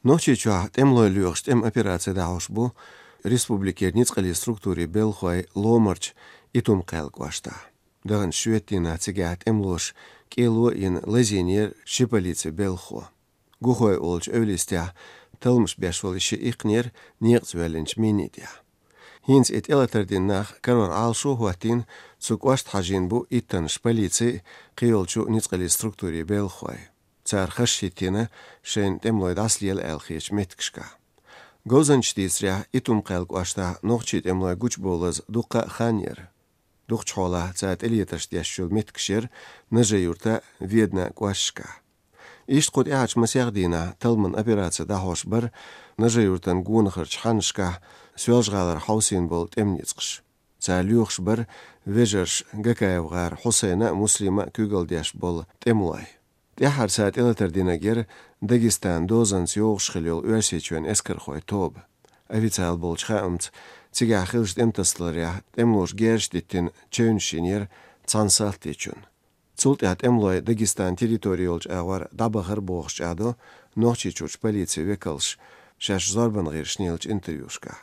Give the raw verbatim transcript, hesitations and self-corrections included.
Нохчийчохь тӀемалой лоьхуш тӀеман операци дӀахьош бу республикера ницкъаллин структурийн белхалой Ломарчу Итум-Кхаьллан кӀоштахь. Даханчу шоьтан дийнахь цигахь тӀемалоша кӀело а йина лазийнера ши полицин белхахо. Гухой олучу эвлистехь талламаш беш волу ши иккхинера некъаца воьллинчу минийн тӀехь. ХӀинца и тӀелатар дина нах карор Ӏалашо а хӀоттийна, цу кӀошта хьажийна бу иттаннаш полицин а, кхийолчу ницкъаллин структурийн белхалой. Цара хазахӀиттийна шайна тӀемалой дӀасалела аьлла хетачу меттигашкахь. Говзанчаша дийцарехь, Итум-Кхаьллан кӀоштахь нохчийн тӀемалой гучубовлаза дуккха а хан яра. Дукхачу хьолахь цара тӀелетарш деш йолу меттигаш яра Нажи-Юртан, Веданан кӀошташкахь. Иштта кху тӀаьхьарчу масех дийнахь талламан операци дӀахьош бара Нажи-Юртан гонахарчу хьаннашкахь Соьлжа-ГӀалара хьовсийна болу тӀеман ницкъаш. Цара лоьхуш бара вежарша Гакаев-гӀаран Хьусайна а, Муслима а куьйгалла деш болу тӀемалой. ТӀаьххьара цара тӀелатар динарг яра Дагестанан дозанца йогӀуш хилла йолу Оьрсийчоьнан эскархойн тоба. Официалан болчу хаамца, цигахь хиллачу тӀематасадаларехь тӀемалоша герзаш диттина чевнаш йинера цхьана салтичунна. Цул тӀаьхьа тӀемалой Дагестанан территори йолчу агӀор дӀабахара бохуш чӀагӀдо Нохчийчуьрчу полицин векалша шаьш зорбанан гӀирсашна еллачу интервьюшкахь.